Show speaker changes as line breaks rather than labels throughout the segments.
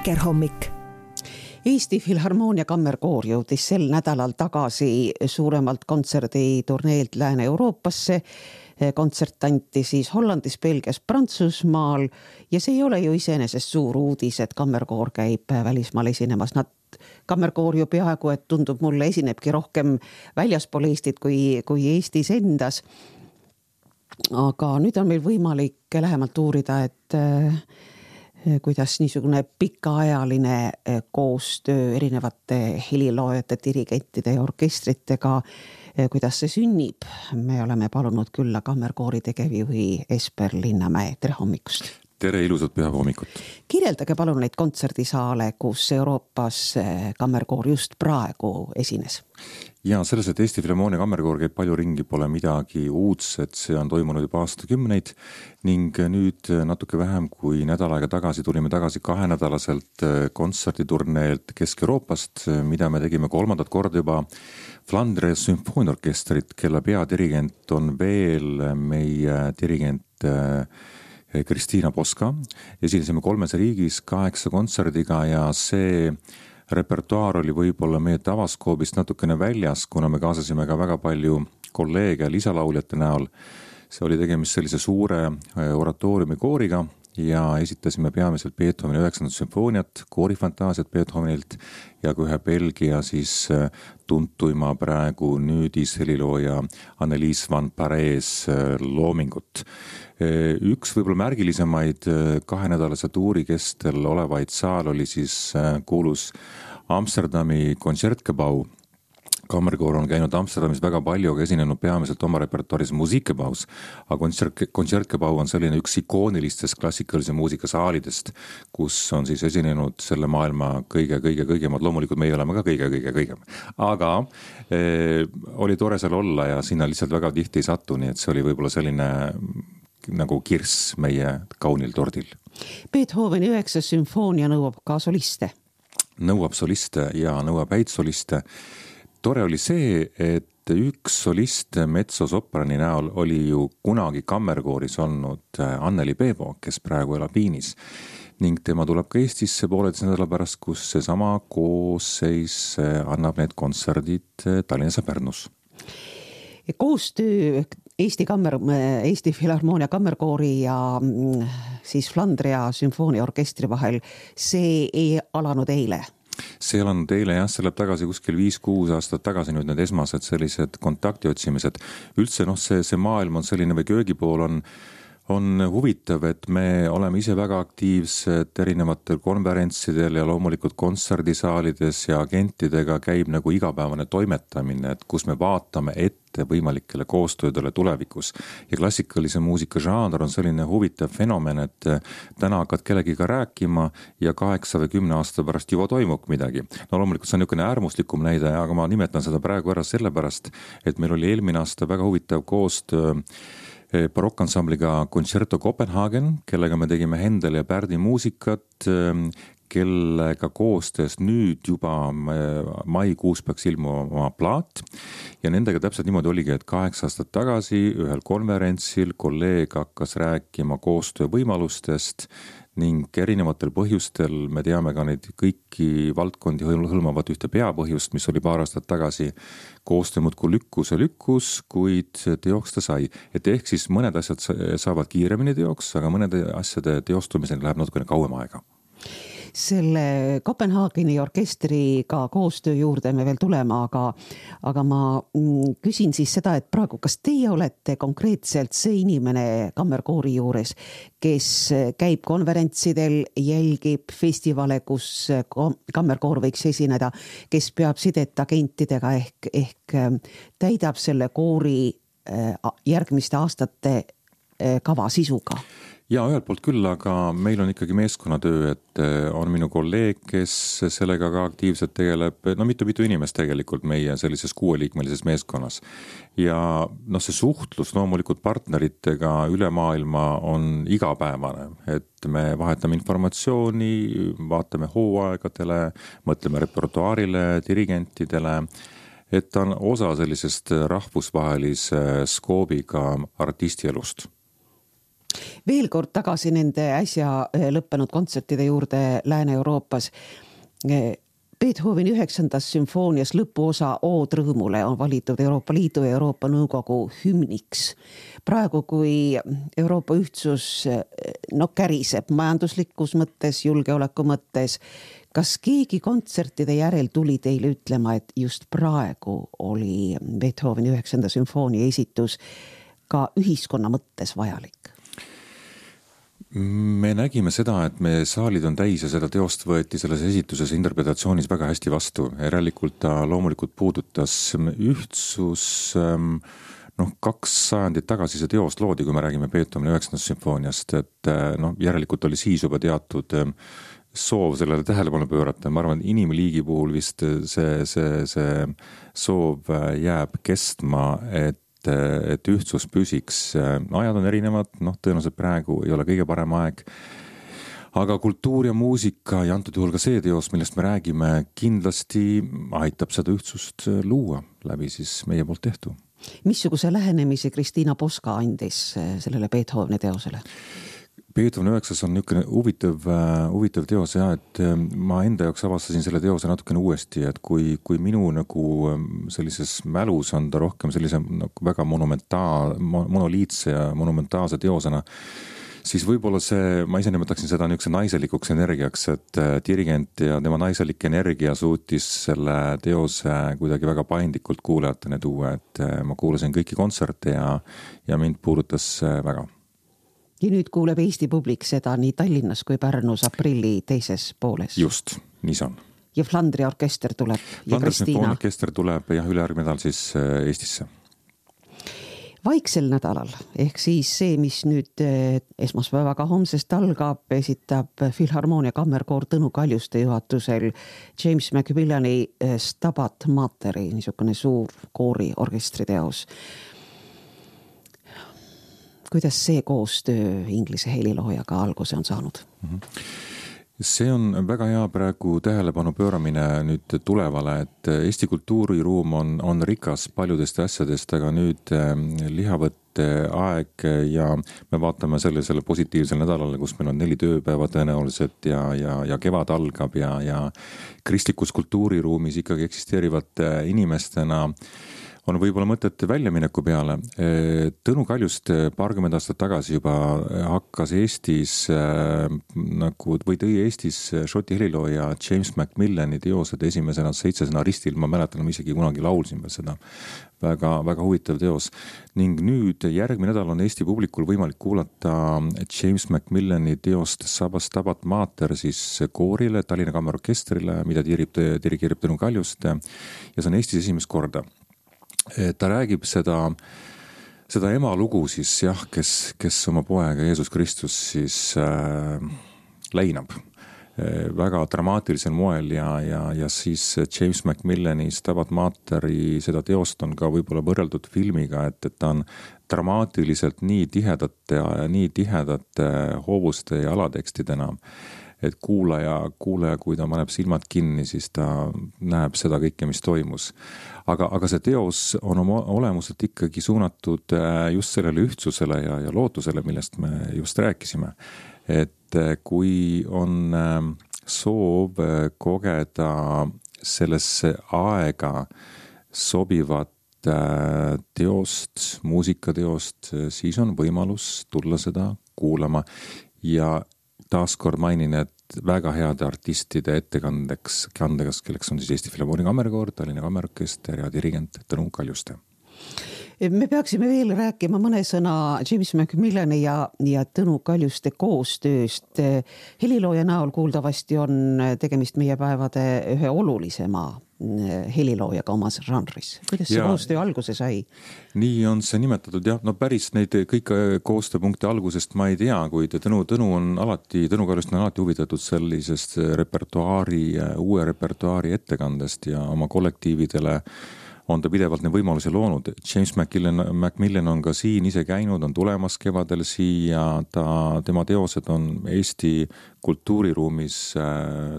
Vikerhommik.
Eesti Filharmoonia kammerkoor jõudis sel nädalal tagasi suuremalt kontserditurneelt Lääne-Euroopasse. Kontsert anti siis Hollandis, Belgias, Prantsusmaal ja see ei ole ju iseenesest suur uudis, et kammerkoor käib välismaal esinemas. Kammerkoor ju peaaegu, et tundub mulle, esinebki rohkem väljaspool Eestit kui Eestis endas. Aga nüüd on meil võimalik lähemalt uurida, et kuidas niisugune pikaajaline koostöö erinevate heliloojate, dirigentide ja orkestritega, kuidas see sünnib. Me oleme palunud külla kammerkoori tegevjuhi Esper Linnamäe. Tere hommikust!
Tere, ilusat pühahommikut!
Kirjeldage palun neid kontserdisaale, kus Euroopas kammerkoor just praegu esines.
Ja selles, et Eesti Filharmoonia kammerkoor käib palju ringi, pole midagi uudset, see on toimunud juba aastakümneid ning nüüd natuke vähem kui nädal aega tagasi tulime tagasi 2-nädalaselt kontserditurneelt Kesk-Euroopast, mida me tegime 3. korda juba Flandria sümfooniaorkestrit, kelle peadirigent on veel meie dirigent Kristiina Poska. Esinesime 3 riigis 8 kontserdiga ja see repertuaar oli võib-olla meie tavaskoobist natukene väljas, kuna me kaasasime ka väga palju kolleege lisalauljate näol. See oli tegemist sellise suure oratooriumi kooriga ja esitasime peamiselt Beethoveni 9. sümfooniat, koorifantaasiat Beethovenilt ja ka ühe Belgia siis tuntuima praegu nüüdis helilooja Annelies van Parijs loomingut. Üks võib-olla märgilisemaid 2-nädalase tuuri kestel olevaid saal oli siis kuulus Amsterdami Concertgebouw. Kammerkoor on käinud Amsterdamis väga palju, aga esinenud peamiselt oma repertuaaris Musikgebaus, aga Concertgebouw on selline üks ikoonilistest klassikalise muusika saalidest, kus on siis esinenud selle maailma kõige-kõige-kõigemad. Loomulikult meie oleme ka kõige-kõige-kõigem. Aga oli tore seal olla ja sinna lihtsalt väga tihti ei satu, nii et see oli võib-olla selline nagu kirss meie kaunil tordil.
Beethoveni 9. sümfoonia nõuab ka soliste.
Nõuab soliste ja nõuab häid soliste. Tore oli see, et üks solist mezzosoprani näol oli ju kunagi kammerkooris olnud Anneli Peevo, kes praegu elab Viinis. Ning tema tuleb ka Eestisse pooleteise nädala pärast, kus seesama koosseis annab need kontserdid Tallinnas ja Pärnus.
Koostöö Eesti Filharmoonia kammerkoori ja siis Flandria sümfooniaorkestri vahel, see ei alanud eile.
See alanud eile jah, see läheb tagasi kuskil 5-6 aastat tagasi nüüd need esmased sellised kontakti otsimised. Üldse see maailm on selline või köögipool on huvitav, et me oleme ise väga aktiivsed erinevatel konverentsidel ja loomulikult kontserdisaalides ja agentidega käib nagu igapäevane toimetamine, et kus me vaatame ette võimalikele koostöödele tulevikus. Ja klassikalise muusika žanr on selline huvitav fenomen, et täna hakkad kellegiga rääkima ja 8 või 10 aasta pärast juba toimub midagi. No loomulikult see on niisugune äärmuslikum näide, aga ma nimetan seda praegu ära sellepärast, et meil oli eelmine aasta väga huvitav koostöö barokkansambliga Concerto Copenhagen, kellega me tegime Händel ja Pärdi muusikat, kellega koostöös nüüd juba maikuus peaks ilmuma plaat ja nendega täpselt niimoodi oligi, et 8 aastat tagasi ühel konverentsil kolleeg hakkas rääkima koostöö võimalustest ning erinevatel põhjustel me teame ka neid kõiki valdkondi hõlmavat ühte peapõhjust, mis oli paar aastat tagasi koostöö muudkui lükkus, kuid teoks ta sai. Et ehk siis mõned asjad saavad kiiremini teoks, aga mõnede asjade teostumiseni läheb natukene kauem aega.
Selle Kopenhaageni orkestriga koostöö juurde me veel tulema, aga ma küsin siis seda, et praegu, kas teie olete konkreetselt see inimene kammerkoori juures, kes käib konverentsidel, jälgib festivale, kus kammerkoor võiks esineda, kes peab sidet agentidega ehk täidab selle koori järgmiste aastate kava sisuga?
Ja ühelt poolt küll, aga meil on ikkagi meeskonnatöö, et on minu kolleeg, kes sellega ka aktiivselt tegeleb, mitu inimest tegelikult meie sellises 6-liikmelises meeskonnas. Ja see suhtlus loomulikult partneritega üle maailma on igapäevane, et me vahetame informatsiooni, vaatame hooaegadele, mõtleme repertuaarile, dirigentidele, et ta on osa sellisest rahvusvahelise skoobiga artistielust.
Veel kord tagasi nende äsja lõppenud kontsertide juurde Lääne-Euroopas. Beethoveni 9. sümfoonias lõpuosa Ood rõõmule on valitud Euroopa Liidu ja Euroopa Nõukogu hümniks. Praegu, kui Euroopa ühtsus käriseb majanduslikus mõttes, julgeoleku mõttes, kas keegi kontsertide järel tuli teile ütlema, et just praegu oli Beethoveni 9. sümfoonia esitus ka ühiskonna mõttes vajalik?
Me nägime seda, et meie saalid on täis ja seda teost võeti selles esituses interpretatsioonis väga hästi vastu. Järelikult ta loomulikult puudutas ühtsus, 2 sajandit tagasi see teost loodi, kui me räägime Beethoveni 9. sümfooniast, et järelikult oli siis juba teatud soov sellele tähelepanu pöörata. Ma arvan, et inimliigi puhul vist see soov jääb kestma, et ühtsus püsiks. Ajad on erinevad, tõenäoliselt praegu ei ole kõige parem aeg. Aga kultuur ja muusika ja antud juhul ka see teos, millest me räägime, kindlasti aitab seda ühtsust luua läbi siis meie poolt tehtu.
Missuguse lähenemise Kristiina Poska andis sellele Beethoveni teosele?
Beethoveni 9 on niisugune huvitav teos ja et ma enda jaoks avastasin selle teose natukene uuesti, et kui minu sellises mälus on ta rohkem sellise väga monoliitse ja monumentaalse teosena, siis võib-olla ma ise nimetaksin seda niisuguse naiselikuks energiaks, et dirigent ja tema naiselik energia suutis selle teose kuidagi väga paindlikult kuulajateni tuua, et ma kuulasin kõiki kontserte ja mind puudutas väga.
Ja nüüd kuuleb Eesti publik seda nii Tallinnas kui Pärnus aprilli teises pooles.
Just, nii see on.
Ja Flandri orkester tuleb ja Kristiina.
Orkester tuleb ülejärgmine nädal siis Eestisse.
Vaiksel nädalal, ehk siis see, mis nüüd esmaspäevaga homsest algab, esitab Filharmoonia kammerkoor Tõnu Kaljuste juhatusel James Macmillani Stabat Materi, niisugune suur koori orkestriteos. Kuidas see koostöö Inglise heliloojaga alguse on saanud?
See on väga hea praegu tähelepanu pööramine nüüd tulevale, et Eesti kultuuriruum on rikas paljudest asjadest, aga nüüd lihavõtte aeg ja me vaatame sellele positiivsel nädalale, kus meil on 4 tööpäeva tõenäoliselt ja kevad algab ja kristlikus kultuuriruumis ikkagi eksisteerivate inimestena on võib-olla mõtet väljamineku peale. Tõnu Kaljuste paarkümmend aastat tagasi juba hakkas Eestis tõi Eestis Šoti helilooja James Macmillani teosed esimesena 7 ristil, ma mäletan, ma isegi kunagi laulsin seda. Väga, väga huvitav teos. Ning nüüd järgmine nädal on Eesti publikul võimalik kuulata James Macmillani teost Stabat Mater siis koorile, Tallinna Kammerorkestrile, mida dirigeerib Tõnu Kaljuste ja see on Eestis esimest korda. Ta räägib seda ema lugu siis kes oma poega Jeesus Kristus siis leinab väga dramaatilisel moel ja siis James Macmillani Stabat Materi seda teost on ka võib-olla võrreldud filmiga, et ta on dramaatiliselt nii tihedate hoovuste ja alatekstidena, et kuulaja, kui ta paneb silmad kinni, siis ta näeb seda kõike, mis toimus. Aga see teos on oma olemuselt ikkagi suunatud just sellele ühtsusele ja lootusele, millest me just rääkisime. Et kui on soov kogeda sellesse aega sobivat teost, muusikateost, siis on võimalus tulla seda kuulama ja taaskord mainin, et väga heade artistide ettekandeks, kelleks on siis Eesti Filharmoonia kammerkoor, Tallinna Kammerorkester ja dirigent Tõnu Kaljuste.
Me peaksime veel rääkima mõne sõna James Macmillani ja Tõnu Kaljuste koostööst. Helilooja näol kuuldavasti on tegemist meie päevade ühe olulisema heliloojaga omas žanris. Kuidas see koostöö alguse sai?
Nii on see nimetatud, jah. Päris neid kõik koostööpunkte algusest ma ei tea, kuid Tõnu Kaljuste on alati huvitatud sellisest uue repertuaari ettekandest ja oma kollektiividele on ta pidevalt neid võimalusi loonud. James Macmillan on ka siin ise käinud, on tulemas kevadel siia, tema teosed on Eesti kultuuriruumis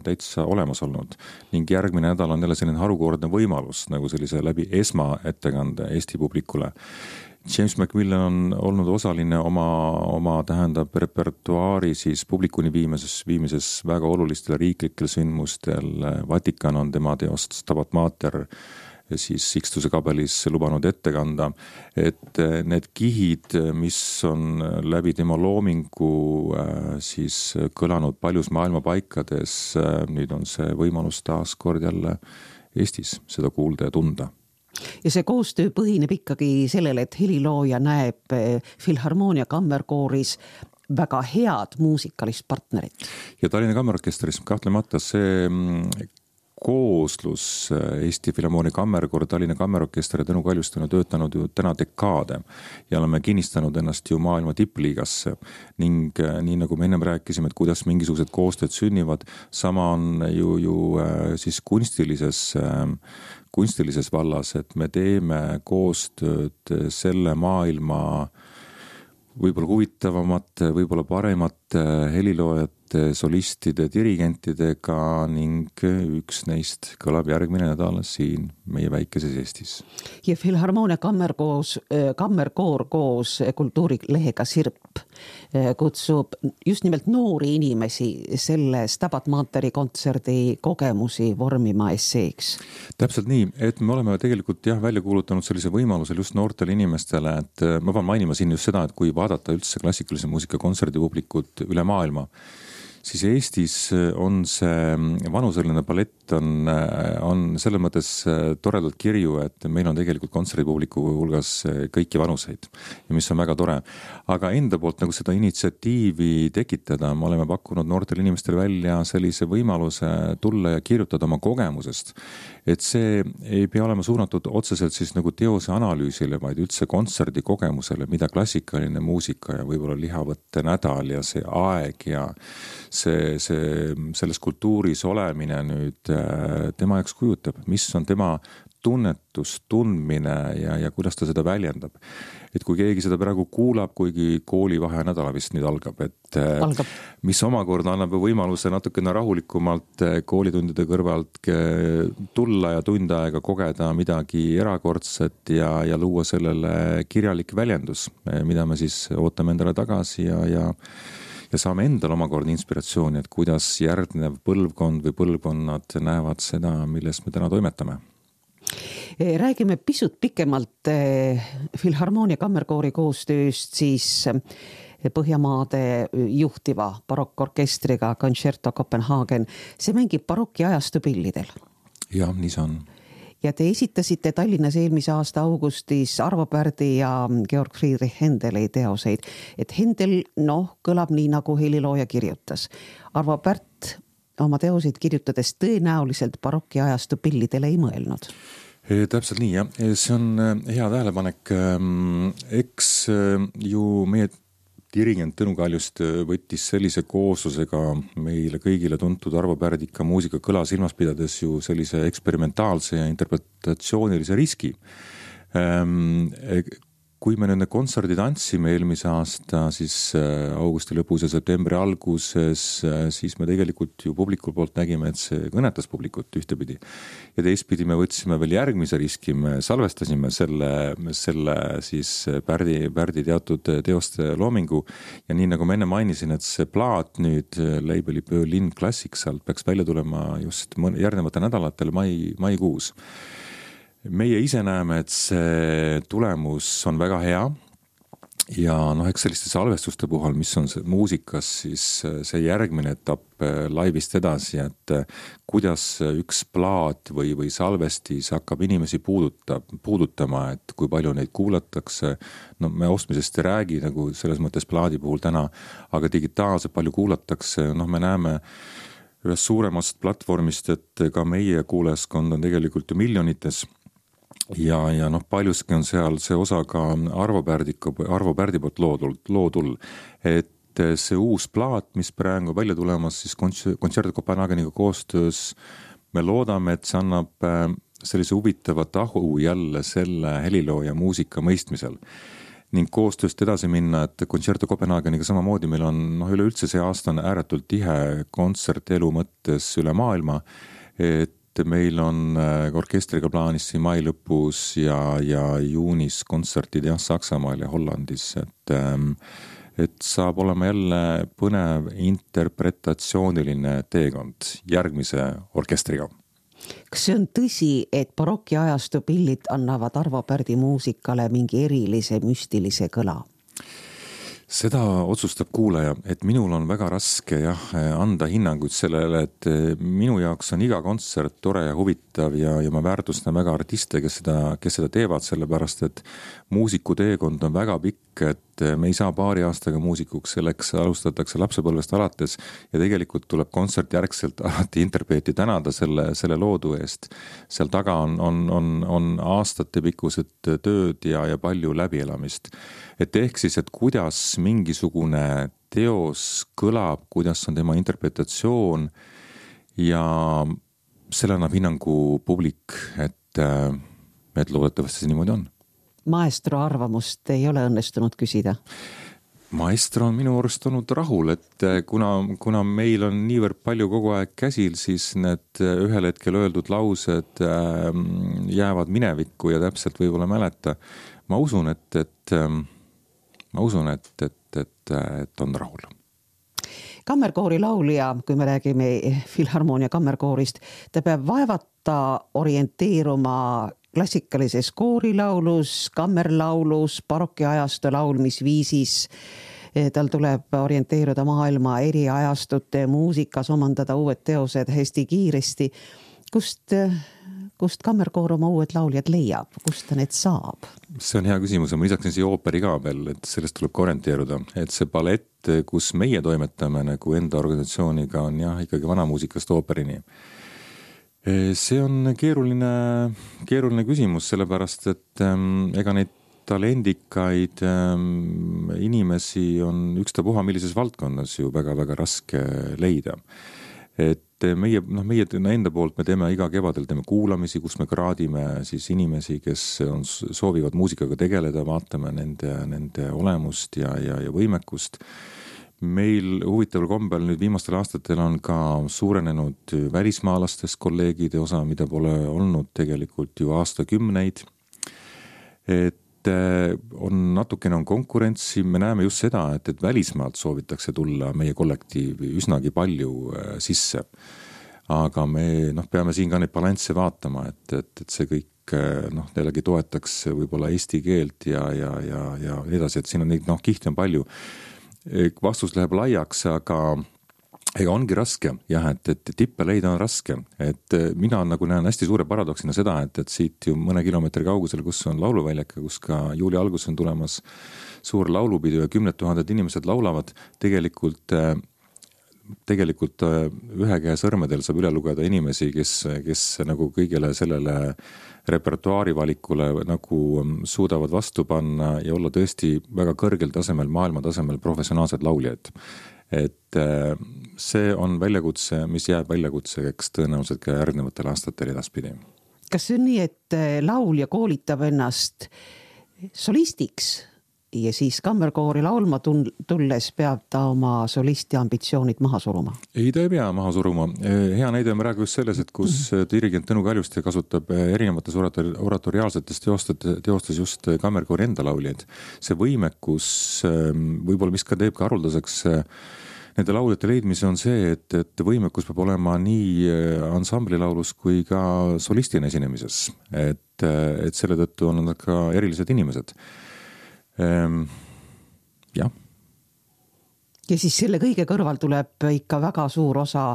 täitsa olemas olnud ning järgmine nädal on jälle selline harukordne võimalus nagu sellise läbi esmaettekande Eesti publikule. James Macmillan on olnud osaline oma tähendab repertuaari siis publikuni viimises väga olulistel riiklikel sündmustel. Vatikan on tema teost Stabat Mater siis Sixtuse kabelis lubanud ette kanda, et need kihid, mis on läbi tema loomingu siis kõlanud paljus maailma paikades, nüüd on see võimalus taas kord jälle Eestis seda kuulda ja tunda.
Ja see koostöö põhineb ikkagi sellele, et helilooja näeb Filharmoonia kammerkooris väga head muusikalist partnerit.
Ja Tallinna Kammerorkestris kahtlemata see kooslus Eesti Filharmoonia kammerkoor, Tallinna Kammerorkester ja Tõnu Kaljuste on töötanud ju täna dekaade ja oleme kinnistanud ennast ju maailma tippliigasse ning nii nagu me ennem rääkisime, et kuidas mingisugused koostööd sünnivad, sama on ju siis kunstilises vallas, et me teeme koostööd selle maailma võib-olla huvitavamate, võib-olla paremate heliloojate, solistide, dirigentidega ning üks neist kõlab järgmine nädal siin meie väikeses Eestis.
Ja Filharmoonia kammerkoor koos kultuurilehega Sirp kutsub just nimelt noori inimesi selle Stabat Materi kontserdi kogemusi vormima esseeks.
Täpselt nii, et me oleme tegelikult välja kuulutanud sellise võimalusel just noortele inimestele, et ma pean mainima siin just seda, et kui vaadata üldse klassikalise muusika kontserdipublikut üle maailma, siis Eestis on see vanuseline palett on selles mõttes toredalt kirju, et meil on tegelikult kontserdipubliku hulgas kõiki vanuseid, mis on väga tore. Aga enda poolt nagu seda initsiatiivi tekitada, me oleme pakkunud noortele inimestele välja sellise võimaluse tulla ja kirjutada oma kogemusest, et see ei pea olema suunatud otseselt siis nagu teose analüüsile, vaid üldse kontserdi kogemusele, mida klassikaline muusika ja võib-olla lihavõtte nädal ja see aeg ja selles kultuuris olemine nüüd tema jaoks kujutab, mis on tema tunnetus, tundmine ja kuidas ta seda väljendab. Et kui keegi seda praegu kuulab, kuigi koolivahe nädala vist nüüd algab, mis omakorda annab võimaluse natukene rahulikumalt koolitundide kõrvalt tulla ja tund aega kogeda midagi erakordset ja luua sellele kirjalik väljendus, mida me siis ootame endale tagasi ja saame endal omakorda inspiratsiooni, et kuidas järgnev põlvkond või põlvkonnad näevad seda, milles me täna toimetame.
Räägime pisut pikemalt Filharmoonia kammerkoori koostööst siis Põhjamaade juhtiva barokkorkestriga Concerto Copenhagen. See mängib baroki ajastu pillidel.
Ja, nii see on.
Ja te esitasite Tallinnas eelmise aasta augustis Arvo Pärdi ja Georg Friedrich Händeli teoseid. Et Händel kõlab nii, nagu helilooja kirjutas. Arvo Pärt oma teoseid kirjutades tõenäoliselt baroki ajastu pillidele ei mõelnud.
Täpselt nii, jah. See on hea tähelepanek. Eks ju meie dirigent Tõnu Kaljust võttis sellise kooslusega meile kõigile tuntud Arvo Pärdika muusika kõla silmas pidades ju sellise eksperimentaalse ja interpretatsioonilise riski. Kui me nüüd kontserdid andsime eelmise aasta siis augusti lõpus ja septembri alguses, siis me tegelikult ju publikul poolt nägime, et see kõnetas publikut ühtepidi. Ja teistpidi me võtsime veel järgmise riski, me salvestasime selle siis Pärdi teatud teoste loomingu ja nii nagu ma enne mainisin, et see plaat nüüd labeli Berlin Classics alt peaks välja tulema just järgnevatel nädalatel maikuus. Meie ise näeme, et see tulemus on väga hea ja eks selliste salvestuste puhul, mis on muusikas, siis see järgmine etapp laivist edasi, et kuidas üks plaat või salvestis hakkab inimesi puudutama, et kui palju neid kuulatakse. Me ostmisest ei räägi nagu selles mõttes plaadi puhul täna, aga digitaalselt palju kuulatakse, me näeme ühest suuremast platvormist, et ka meie kuulajaskond on tegelikult ju miljonites. Ja paljuski on seal see osa ka Arvo Pärdi poolt loodul, et see uus plaat, mis praegu välja tulemas siis Concerto Copenhageniga koostöös, me loodame, et see annab sellise huvitava tahu jälle selle helilooja muusika mõistmisel ning koostööst edasi minna, et Concerto Copenhageniga samamoodi meil on üleüldse see aasta on ääretult tihe kontsertelu mõttes üle maailma, et meil on orkestriga plaanis siin mai lõpus ja juunis kontsertid Saksamaal ja Hollandis, et saab olema jälle põnev interpretatsiooniline teekond järgmise orkestriga.
Kas see on tõsi, et barokiajastu pillid annavad Arvo Pärdi muusikale mingi erilise müstilise kõla?
Seda otsustab kuulaja, et minul on väga raske anda hinnanguid sellele, et minu jaoks on iga kontsert tore ja huvitav ja ma väärtustan väga artiste, kes seda teevad, sellepärast et muusiku teekond on väga pikk, et me ei saa paari aastaga muusikuks, selleks alustatakse lapsepõlvest alates ja tegelikult tuleb kontsertjärgselt alati interpreeti tänada selle loodu eest. Seal taga on aastate pikkused tööd ja palju läbielamist. Et ehk siis, et kuidas mingisugune teos kõlab, kuidas on tema interpretatsioon ja selle annab hinnangu publik, et loodetavasti see niimoodi on.
Maestro arvamust ei ole õnnestunud küsida?
Maestro on minu arust olnud rahul, et kuna meil on niivõrd palju kogu aeg käsil, siis need ühel hetkel öeldud laused jäävad minevikku ja täpselt võib-olla mäleta. Ma usun, et on rahul.
Kammerkoori laulja, kui me räägime Filharmoonia kammerkoorist, ta peab vaevata orienteeruma klassikalises koorilaulus, kammerlaulus, barokiajastu laulmisviisis. Tal tuleb orienteeruda maailma eri ajastute muusikas, omandada uued teosed hästi kiiresti. Kust kammerkoor oma uued lauljad leiab? Kust ta need saab?
See on hea küsimus ja ma lisaksin siia ooperi ka veel, et sellest tuleb orienteeruda. Et see ballett, kus meie toimetame nagu enda organisatsiooniga on ikkagi vanamuusikast ooperini. See on keeruline küsimus, sellepärast, et ega neid talendikaid inimesi on ükstapuha millises valdkonnas ju väga-väga raske leida. Et meie enda poolt me teeme iga kevadel kuulamisi, kus me kraadime siis inimesi, kes soovivad muusikaga tegeleda, vaatame nende olemust ja võimekust. Meil huvitaval kombel nüüd viimastel aastatel on ka suurenenud välismaalastest kolleegide osa, mida pole olnud tegelikult ju aastakümneid. Et natukene on konkurentsi, me näeme just seda, et välismaalt soovitakse tulla meie kollektiivi üsnagi palju sisse. Aga me peame siin ka neid balansse vaatama, et see kõik jällegi toetaks võib-olla eesti keelt ja edasi, et siin on neid kihte on palju. Vastus läheb laiaks, aga ega ongi raske, et tippe leida on raske, et mina näen hästi suure paradoksina seda, et siit ju mõne kilomeetri kaugusel, kus on lauluväljak, kus ka juuli algus on tulemas suur laulupidu ja 10 000 inimesed laulavad, tegelikult ühe käe sõrmedel saab üle lugeda inimesi, kes nagu kõigele sellele repertuaari valikule nagu suudavad vastu panna ja olla tõesti väga kõrgel tasemel, maailma tasemel professionaalsed lauljad. Et see on väljakutse, mis jääb väljakutseks tõenäoliselt ka järgnevatel aastatel edaspidi.
Kas see on nii, et laulja koolitab ennast solistiks ja siis kammerkoori laulma tulles peab ta oma solisti ambitsioonid maha suruma?
Ei, ta ei pea maha suruma. Hea näide on praegu just selles, et kus dirigent Tõnu Kaljuste kasutab erinevates oratoriaalsetes teostes just kammerkoori enda lauljaid. See võimekus võib-olla mis ka teeb ka haruldaseks nende lauljate leidmise on see, et võimekus peab olema nii ansamblilaulus kui ka solistina esinemises. Et selle tõttu on nad ka erilised inimesed. Jah.
Ja siis selle kõige kõrval tuleb ikka väga suur osa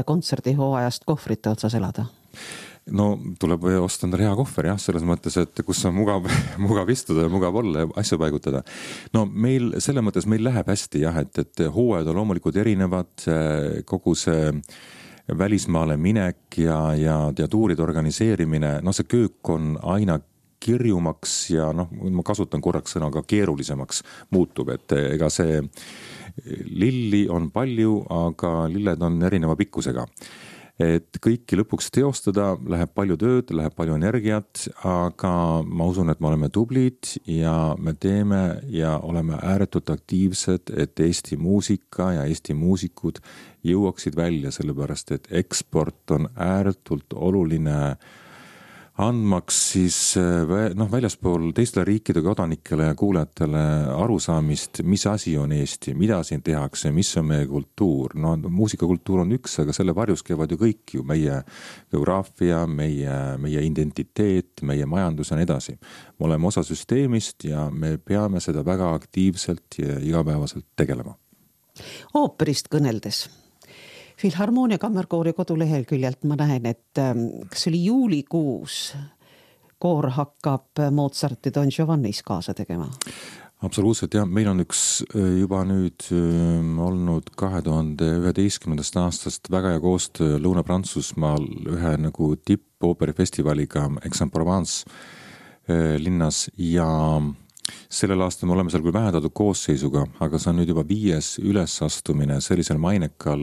kontserdihooajast kohvrite otsas elada.
No tuleb osta endale hea kohver, selles mõttes, et kus on mugav istuda ja mugav olla ja asju paigutada. No selle mõttes meil läheb hästi, et hooajad on loomulikult erinevad, kogu see välismaale minek ja tuuride organiseerimine, see köök on aina kirjumaks ja ma kasutan korraks sõna ka keerulisemaks muutub, et ega see lilli on palju, aga lilled on erineva pikkusega. et kõiki lõpuks teostada läheb palju tööd, läheb palju energiat, aga ma usun, et me oleme tublid ja me teeme ja oleme ääretult aktiivsed, et Eesti muusika ja Eesti muusikud jõuaksid välja, sellepärast et eksport on ääretult oluline andmaks siis väljaspool teistele riikide kodanikele ja kuulajatele arusaamist, mis asi on Eesti, mida siin tehakse, mis on meie kultuur. No muusikakultuur on üks, aga selle varjus käivad ju kõik ju meie geograafia, meie identiteet, meie majandus ja nii edasi. Me oleme osa süsteemist ja me peame seda väga aktiivselt ja igapäevaselt tegelema.
Ooperist kõneldes. Filharmoonia Kammerkoori koduleheküljelt ma näen, et kas oli juulikuus koor hakkab Mozarti Don Giovannis kaasa tegema?
Absoluutselt, jah. Meil on üks juba nüüd olnud 2011. aastast väga hea koostöö Lõuna-Prantsusmaal ühe nagu tipp-ooperifestivaliga Aix-en-Provence linnas ja sellel aastal me oleme seal küll vähendatud koosseisuga, aga see on nüüd juba 5. ülesastumine sellisel mainekal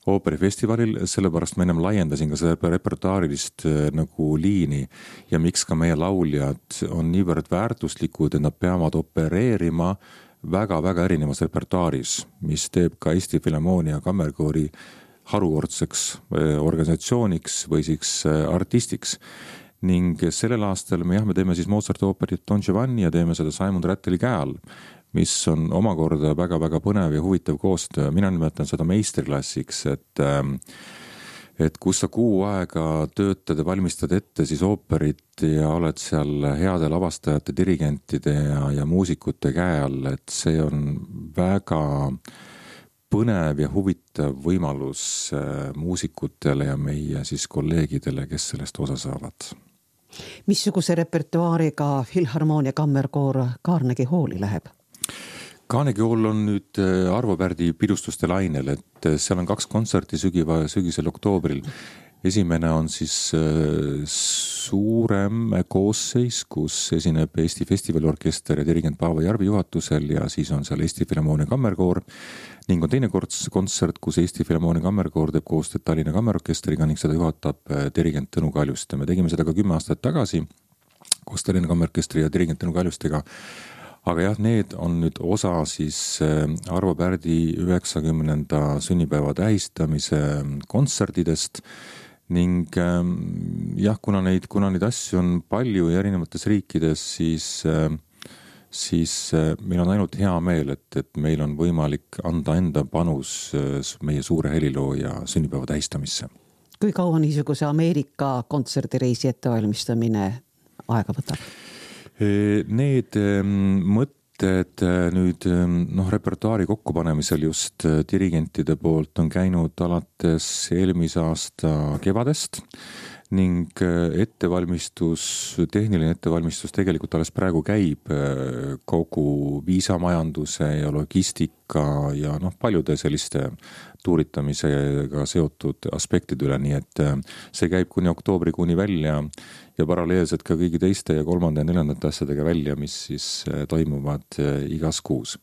ooperifestivalil, sellepärast ma ennem laiendasin ka seda repertuaarilist nagu liini ja miks ka meie lauljad on niivõrd väärtuslikud, et nad peavad opereerima väga-väga erinevas repertuaaris, mis teeb ka Eesti Filharmoonia Kammerkoori harukordseks organisatsiooniks või siis artistiks. Ning sellel aastal me teeme siis Mozarti ooperit Don Giovanni ja teeme seda Simon Ratteli käe all, mis on omakorda väga-väga põnev ja huvitav koostöö. Mina nimetan seda meistriklassiks, et kus sa kuu aega töötad ja valmistad ette siis ooperit ja oled seal heade lavastajate, dirigentide ja muusikute käe all, et see on väga põnev ja huvitav võimalus muusikutele ja meie siis kolleegidele, kes sellest osa saavad.
Missuguse repertuaariga Filharmoonia Kammerkoor Carnegie Halli läheb?
Carnegie Hall on nüüd Arvo Pärdi pidustuste lainel, et seal on 2 kontserti sügisel oktoobril. Esimene on siis suurem koosseis, kus esineb Eesti Festivaliorkester ja dirigent Paavo Järvi juhatusel ja siis on seal Eesti Filharmoonia Kammerkoor ning on teine kontsert, kus Eesti Filharmoonia Kammerkoor teeb koostööd Tallinna Kammerorkestriga ning seda juhatab dirigent Tõnu Kaljuste. Me tegime seda ka 10 aastat tagasi koos Tallinna Kammerorkestri ja dirigent Tõnu Kaljustega. Aga jah, need on nüüd osa siis Arvo Pärdi 90. sünnipäeva tähistamise kontserdidest ning jah, kuna neid asju on palju ja erinevates riikides, siis meil on ainult hea meel, et meil on võimalik anda enda panus meie suure helilooja sünnipäeva tähistamisse.
Kui kaua niisuguse Ameerika kontserdireisi ettevalmistamine aega võtab?
Need mõtted nüüd repertuaari kokkupanemisel just dirigentide poolt on käinud alates eelmise aasta kevadest ning tehniline ettevalmistus tegelikult alles praegu käib kogu viisamajanduse ja logistika ja paljude selliste tuuritamisega seotud aspektide üle, nii et see käib kuni oktoobrikuuni välja ja paralleelselt ka kõigi teiste ja 3. ja 4. asjadega välja, mis siis toimuvad igas kuus.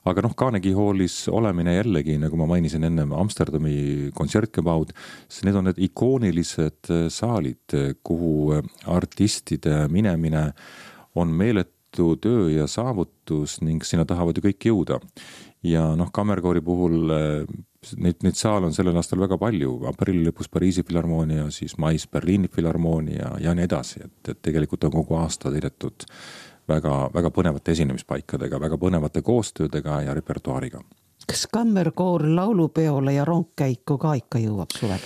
Aga Carnegie Hallis olemine jällegi, nagu ma mainisin ennem Amsterdami kontsertkebaud, need on need ikoonilised saalid, kuhu artistide minemine on meeletu töö ja saavutus ning sinna tahavad ju kõik jõuda. Ja Kammerkoori puhul neid saal on sellel aastal väga palju, aprilli lõpus Pariisi Filharmoonia, siis mais Berliini Filharmoonia ja nii edasi, et tegelikult on kogu aasta täidetud väga, väga põnevate esinemispaikadega, väga põnevate koostöödega ja repertuaariga.
Kas Kammerkoor laulupeole ja rongkäiku ka ikka jõuab suvel?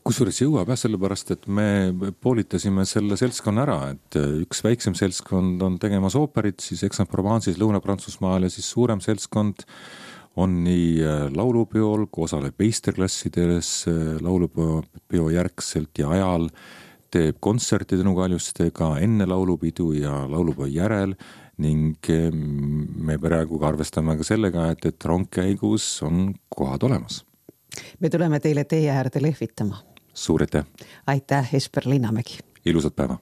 Kusjuures jõuab sellepärast, et me poolitasime selle seltskonna ära, et üks väiksem seltskond on tegemas ooperit, siis Aix-en-Provence'is Lõuna-Prantsusmaal ja siis suurem seltskond on nii laulupeol, kui osaleb meisterklassides laulupeo järgselt ja ajal, teeb kontserti Tõnu Kaljustega enne laulupidu ja laulupeo järel ning me praegu arvestame ka sellega, et rongkäigus on kohad olemas.
Me tuleme teile teie äärde lehvitama.
Suur aitäh!
Aitäh, Esper Linnamägi!
Ilusat päeva!